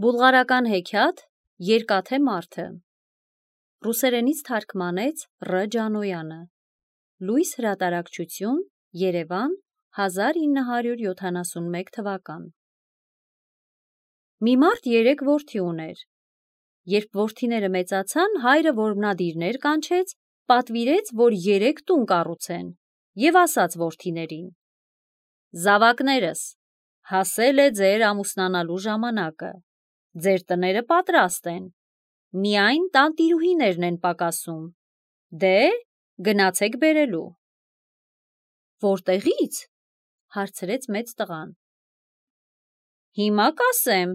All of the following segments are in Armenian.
Բուլղարական հեքիաթ Երկաթե մարդը Ռուսերենից թարգմանեց Ռ. Ջանոյանը Լույս հրատարակչություն Երևան 1971 թվական Մի մարդ 3 որդի ուներ։ Երբ որդիները մեծացան, հայրը որմնադիրներ կանչեց, պատվիրեց, որ 3 տուն կառուցեն և ասաց որդիներին. «Զավակներս, հասել է ձեր ամուսնանալու ժամանակը, ձեր տները պատրաստ են, միայն տանտիրուհիներն են պակասում, դե գնացեք բերելու»։ «Որտեղի՞ց» հարցրեց մեծ տղան։ «Հիմա կասեմ»։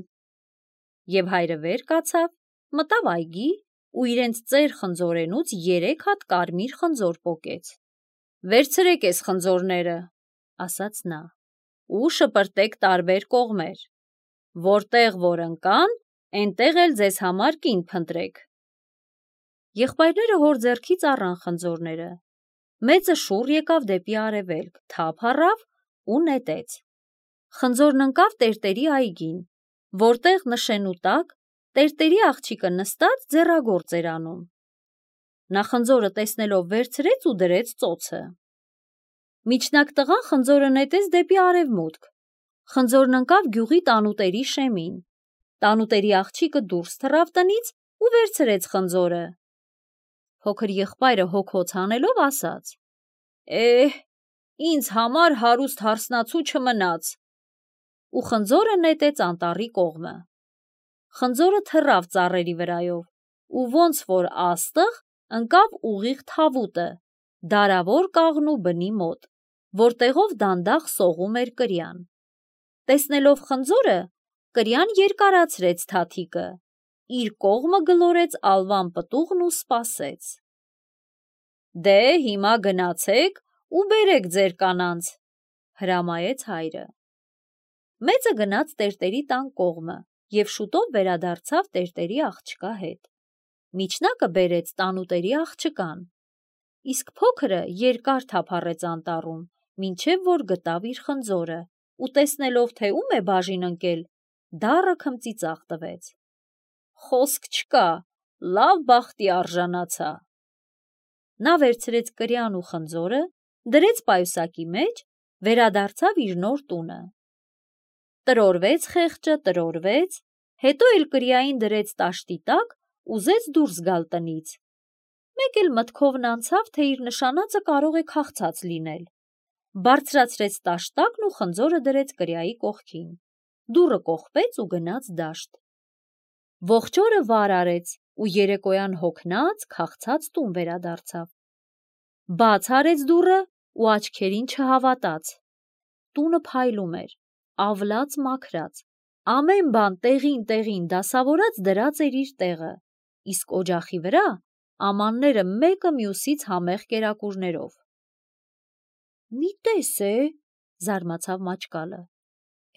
Եվ հայրը վեր կացավ, մտավ այգի ու իրենց ծեր խնձորենուց 3 հատ կարմիր խնձոր պոկեց։ «Վերցրեք էս խնձորները», ասաց նա, «ու շպրտեք տարբեր կողմեր, որտեղ որ ընկան, էնտեղ էլ ձեզ համար կին փնտրեք»։ Եղբայրները հոր ձեռքից առան խնձորները։ Մեծը շուռ եկավ դեպի արևելք, թափ առավ ու նետեց։ Խնձորն ընկավ տերտերի այգին, որտեղ նշենու տակ տերտերի աղջիկը նստած ձեռագործ էր անում։ Նա խնձորը տեսնելով վերցրեց ու դրեց ծոցը։ Միջնակ տղան խնձորը նետեց դեպի արևմուտք։ Խնձորն ընկավ գյուղի տանուտերի շեմին։ Տանուտերի աղջիկը դուրս թռավ տնից ու վերցրեց խնձորը։ Փոքր եղբայրը հոգոց հանելով ասաց. ինձ համար հարուստ հարսնացու չմնաց, ու խնձորը նետեց անտառի կողմը։ Խնձորը թռավ ծառերի վրայով ու ոնց որ աստղ ընկավ ուղիղ թավուտը, դարավոր կաղնու բնի մոտ, որտեղով դանդաղ սողում էր կրյան։ Տեսնելով խնձորը, կրյան երկարացրեց թաթիկը, իր կողմը գլորեց ալվան պտուղն ու սպասեց։ «Դե հիմա գնացեք ու բերեք ձեր կանանց», հրամայեց հայրը։ Մեծը գնաց տերտերի տան կողմը և շուտով վերադարձավ տերտերի աղջկա հետ։ Միջնակը բերեց տանուտերի աղջկան, իսկ փոքրը երկար թափառեց անտառում, մինչև որ գտավ իր խնձորը ու տեսնելով, թե ում է բաժին ընկել, դառը քմծիծաղ տվեց։ «Խոսք չկա, լավ բախտի արժանացա»։ Նա վերցրեց կրյան ու խնձորը, դրեց պայուսակի մեջ, վերադարձավ իր նոր տունը։ Տրորվեց խեղճը, տրորվեց, հետո էլ կրյային դրեց տաշտի տակ, ուզեց դուրս գալ տնից։ Մեկ էլ մտքովն անցավ, թե իր նշանածը կարող է քաղցած լինել։ Բարձրացրեց տաշտակն ու խնձորը դրեց կրյայի կողքին։ Դուռը կողպեց ու գնաց դաշտ։ Ողջ օրը վար արեց ու երեկոյան հոգնած, քաղցած տուն վերադարձավ։ Բաց արեց դուռը ու աչքերին չհավատաց։ Տունը փայլում էր, ավլաց մաքրած, ամեն բան տեղին դասավորած դրած էր իր տեղը, իսկ օջախի վրա ամանները մեկը մյուսից համեղ կերակուրներով։ «Մի տես է», զարմացավ Մաճկալը,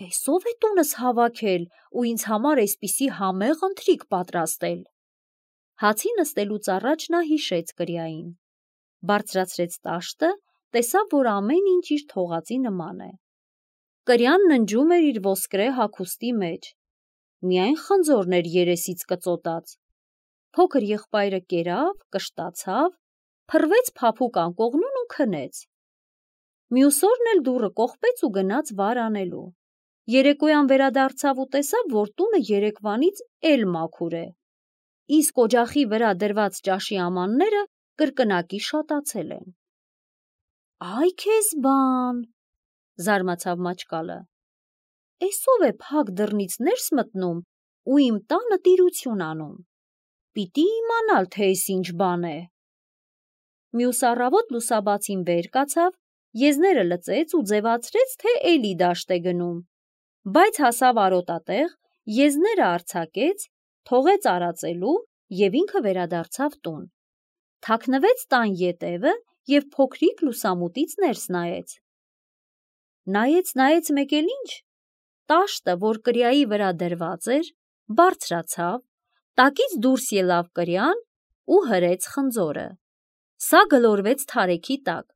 «էս ով է տունս հավաքել ու ինձ համար էսպիսի համեղ ընթրիք պատրաստել»։ Հացի նստելուց առաջ նա հիշեց կրյային, բարձրացրեց տաշտը, տեսավ, որ ամեն ինչ իր թողածի նման է։ Կրյան ննջում էր իր ոսկրե հագուստի մեջ, միայն խնձորն էր երեսից կծոտած։ Փոքր եղբայրը կերավ, կշտացավ, փռվեց փափուկ անկողնուն ու քնեց։ Մյուս օրն էլ դուռը կողպեց ու գնաց վար անելու։ Երեկոյան վերադարձավ ու տեսավ, որ տունը երեկվանից էլ մաքուր է, իսկ օջախի վրա դրված ճաշի ամանները կրկնակի շատացել են։ «Այ քեզ բան», զարմացավ Մաճկալը, «էս ով է փակ դռնից ներս մտնում ու իմ տանը տիրություն անում։ Պիտի իմանալ, թե էս ինչ բան է»։ Մյուս առավոտ լուսաբացին վեր կացավ, եզները լծեց ու ձևացրեց, թե էլի դաշտ է գնում, բայց հասավ արոտատեղ, եզները արձակեց, թողեց արածելու և ինքը վերադարձավ տուն։ Թաքնվեց տան ետևը և փոքրիկ լուսամուտից ներս նայեց։ Նայեց մեկ էլ ինչ, տաշտը, որ կրյայի վրա դրված էր, բարձրացավ, տակից դուրս ելավ կրյան ու հրեց խնձորը։ Սա գլորվեց թարեքի տակ,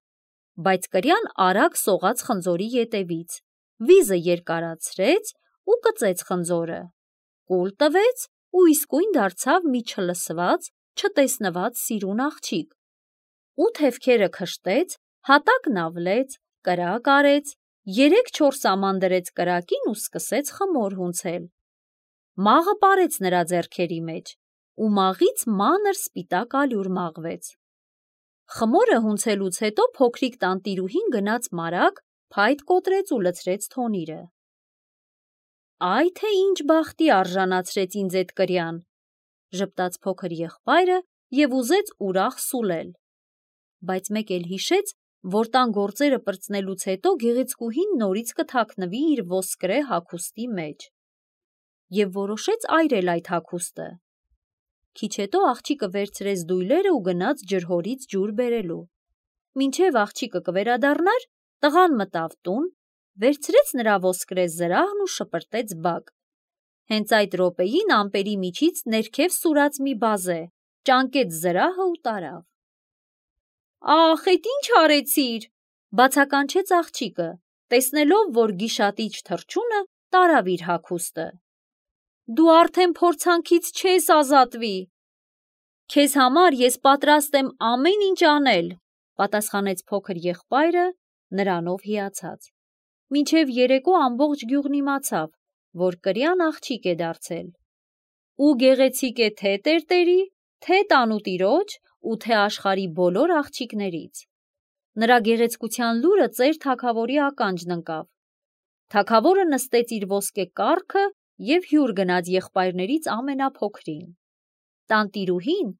բայց կրյան արագ սողաց խնձորի ետևից, վիզը երկարացրեց ու կծեց խնձորը։ կուլ տվեց ու իսկույն դարձավ մի չլսված, չտեսնված սիրուն աղջիկ։ Ու թևքերը քշտեց, հատակն ավլեց, կրակ արեց, 3-4 աման դրեց կրակին ու սկսեց խմոր հունցել։ Մաղը պարեց նրա ձեռքերի մեջ, ու մաղից մանր սպիտակ ալյուր մաղվեց։ Խմորը հունցելուց հետո փոքրիկ տանտիրուհին գնաց մարագ, փայտ կոտրեց ու լցրեց թոնիրը։ «Այ թե ինչ բախտի արժանացրեց ինձ էդ կրյան», ժպտաց փոքր եղբայրը և ուզեց ուրախ սուլել։ Բայց մեկ էլ հիշեց, որ տան գործերը պրծնելուց հետո գեղեցկուհին նորից կթաքնվի իր ոսկրե հագուստի մեջ։ Եվ որոշեց այրել այդ հագուստը։ Քիչ հետո աղջիկը վերցրեց դույլերը ու գնաց ջրհորից ջուր բերելու։ Մինչև աղջիկը կվերադառնար, տղան մտավ տուն, վերցրեց նրա ոսկրե զրահն ու շպրտեց բակ։ Հենց այդ րոպեին ամպերի միջից ներքև սուրաց մի բազե, ճանկեց զրահը ու տարավ։ «Ախ, էդ ինչ արեցիր», բացականչեց աղջիկը, տեսնելով, որ գիշատիչ թռչունը տարավ իր հագուստը։ «Դու արդեն փորձանքից չես ազատվի»։ «Քեզ համար ես պատրաստ եմ ամեն ինչ անել», պատասխանեց փոքր եղբայրը, նրանով հիացած։ Մինչև երեկո ամբողջ գյուղն իմացավ, որ կրյան աղջիկ է դարձել։ Ու գեղեցիկ է թե տերտերի, թե տանուտիրոջ ու թե աշխարհի բոլոր աղջիկներից։ Նրա գեղեցկության լուրը ծեր թագավորի ականջն ընկավ։ Թագավորը նստեց իր ոսկե կառքը և հյուր գնաց եղբայրներից ամենափոքրին։ Տանտիրուհին,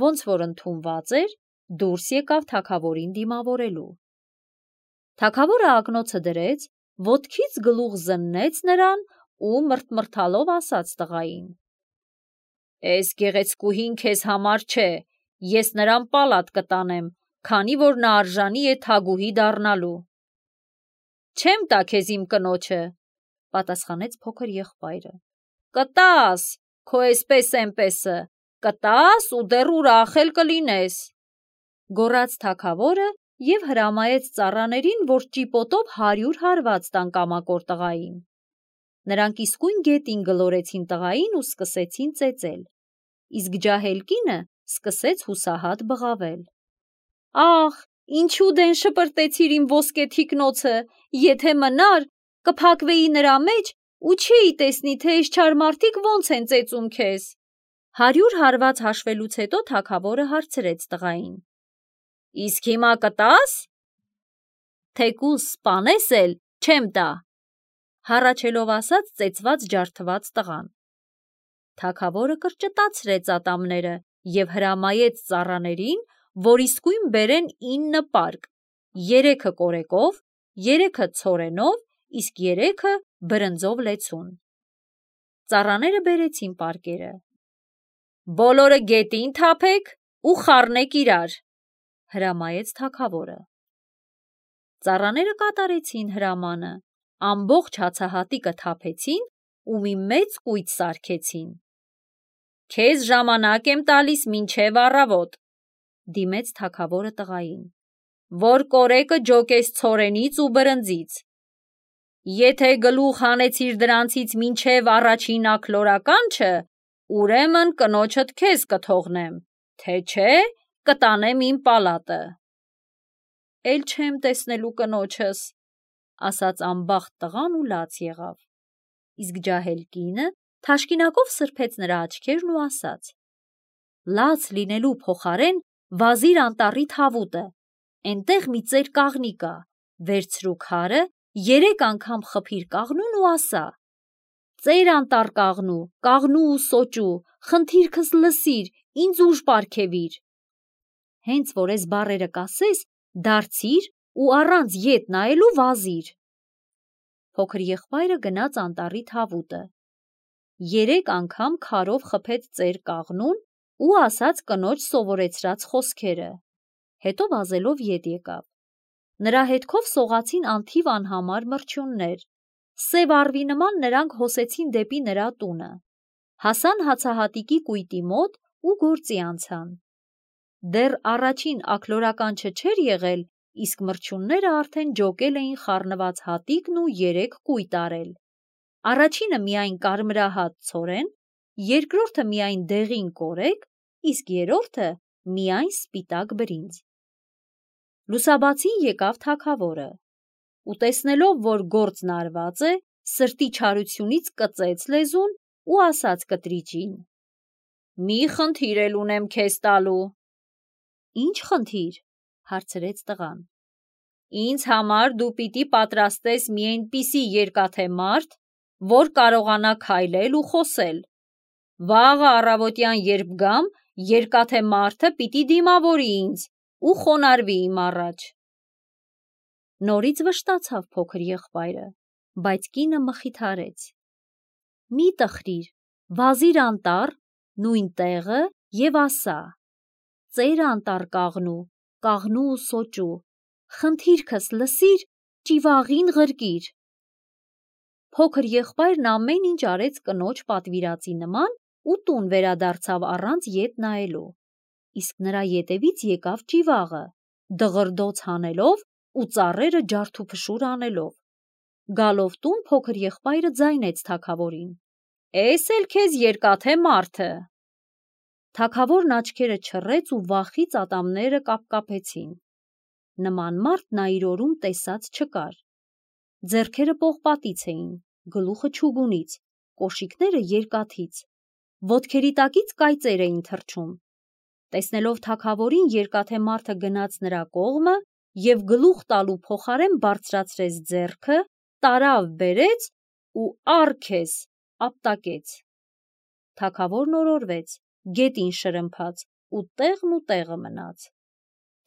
ոնց որ ընդունված էր, դուրս եկավ թագավորին դիմավորելու։ Թագավորը ակնոցը դրեց, ոտքից գլուխ զննեց նրան ու մռթմռթալով ասաց տղային. «Էս գեղեցկուհին քեզ համար չէ, ես նրան պալատ կտանեմ, քանի որ նա արժանի է թագուհի դառնալու»։ «Չեմ տա քեզ իմ կնոջը», պատասխանեց փոքր եղբայրը։ «Կտաս, քո էսպես-էնպեսը, կտաս ու դեռ ուրախ էլ կլինես», գոռաց թագավորը և հրամայեց ծառաներին, որ ճիպոտով 100 հարված տան կամակոր տղային։ Նրանք իսկույն գետին գլորեցին տղային ու սկսեցին ծեծել, իսկ ջահել կինը սկսեց հուսահատ բղավել. «Ախ, ինչու դեն շպրտեցիր իմ ոսկե թիկնոցը, եթե մնար, կփակվեի նրա մեջ ու չէի տեսնի, թե էս չար մարդիկ ոնց են ծեծում քեզ»։ 100 հարված հաշվելուց հետո թագավորը հարցրեց տղային. «Իսկ հիմա կտաս»։ «Թեկուզ սպանես էլ, չեմ տա», հառաչելով ասաց ծեծված ջարդված տղան։ Թագավորը կրճտացրեց ատամները և հրամայեց ծառաներին, որ իսկույն բերեն 9 պարկ, 3-ը կորեկով, 3-ը ցորենով, իսկ 3-ը բրնձով լեցուն։ Ծառաները բերեցին պարկերը։ «Բոլորը գետին թափեք ու խառնեք իրար», հրամայեց թագավորը։ Ծառաները կատարեցին հրամանը, ամբողջ հացահատիկը թափեցին ու մի մեծ կույտ սարքեցին։ «Քեզ ժամանակ եմ տալիս մինչև առավոտ», դիմեց թագավորը տղային, «որ կորեկը ջոկես ցորենից ու բրնձից։ Եթե գլուխ հանեցիր դրանցից մինչև առաջին աքլորականչը, ուրեմն կնոջդ քեզ կթողնեմ, թե չէ կտանեմ իմ պալատը»։ «Էլ չեմ տեսնելու կնոջս», ասաց անբախտ տղան ու լաց եղավ։ Իսկ ջահել կինը թաշկինակով սրբեց նրա աչքերն ու ասաց. «Լաց լինելու փոխարեն վազիր անտառի թավուտը, էնտեղ մի ծեր կաղնի կա, վերցրու քարը, 3 անգամ խփիր կաղնուն ու ասա. «Ծեր անտառ կաղնու, կաղնու ու սոճու, խնդիրքս լսիր, ինձ ուժ պարգևիր»։ Հենց որ էս բառերը կասես, դարձիր ու առանց ետ նայելու վազիր։ Փոքր եղբայրը գնաց անտառի թավուտը, 3 անգամ քարով խփեց ծեր կաղնուն ու ասաց կնոջ սովորեցրած խոսքերը, հետո վազելով ետ եկավ։ Նրա հետքով սողացին անթիվ անհամար մրջյուններ, սև առվի նման նրանք հոսեցին դեպի նրա տունը, հասան հացահատիկի կույտի մոտ ու գործի անցան։ Դեռ առաջին աքլորականչը չէր եղել, իսկ մրջյունները արդեն ջոկել էին խառնված հատիկն ու 3 կույտ արել։ Առաջինը միայն կարմրահատ ցորեն, երկրորդը միայն դեղին կորեկ, իսկ երրորդը միայն սպիտակ բրինձ։ Լուսաբացին եկավ թագավորը, ու տեսնելով, որ գործն արված է, սրտի չարությունից կծեց լեզուն ու ասաց կտրիճին. «Մի խնդիր էլ ունեմ քեզ տալու»։ «Ինչ խնդիր»։ հարցրեց տղան։ «Ինձ համար դու պիտի պատրաստես մի այնպիսի երկաթե մարդ, որ կարողանա քայլել ու խոսել։ Վաղը առավոտյան երբ գամ, երկաթե մարդը պիտի դիմավորի ինձ ու խոնարհվի իմ առաջ»։ Նորից վշտացավ փոքր եղբայրը, բայց կինը մխիթարեց. «Մի տխրիր, վազիր անտառ, նույն տեղը և ասա. ծեր անտառ կաղնու ու սոճու, խնդիրքս լսիր, ճիվաղին ղրկիր»։ Փոքր եղբայրն ամեն ինչ արեց կնոջ պատվիրածի նման ու տուն վերադարձավ առանց ետ նայելու, իսկ նրա ետևից եկավ ճիվաղը, դղրդոց հանելով ու ծառերը ջարդուփշուր անելով։ Գալով տուն փոքր եղբայրը ձայնեց թագավորին. «Էս էլ քեզ երկաթե մարդը»։ Թագավորն աչքերը չռեց ու վախից ատամները կապկապեցին։ Նման մարդ նա իր օրում տեսած չկար։ Ձեռքերը պողպատից էին, գլուխը չուգունից, կոշիկները երկաթից, ոտքերի տակից կայծեր էին թռչում։ Տեսնելով թագավորին, երկաթե մարդը գնաց նրա կողմը և գլուխ տալու փոխարեն բարձրացրեց ձեռքը, տարավ բերեց ու առ քեզ ապտակեց։ Թագավորն օրորվեց, գետին շրմփաց ու տեղը մնաց։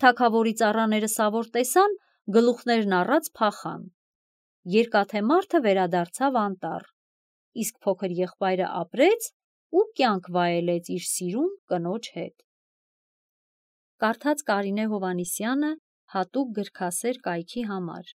Թագավորի ծառաները սավոր տեսան, գլուխներն առած փախան։ Երկաթե մարդը վերադարձավ անտառ, իսկ փոքր եղբայրը ապրեց ու կյանք վայելեց իր սիրուն կնոջ հետ։ Կարդաց Կարինե Հովհաննիսյանը հատուկ գրքասեր կայքի համար։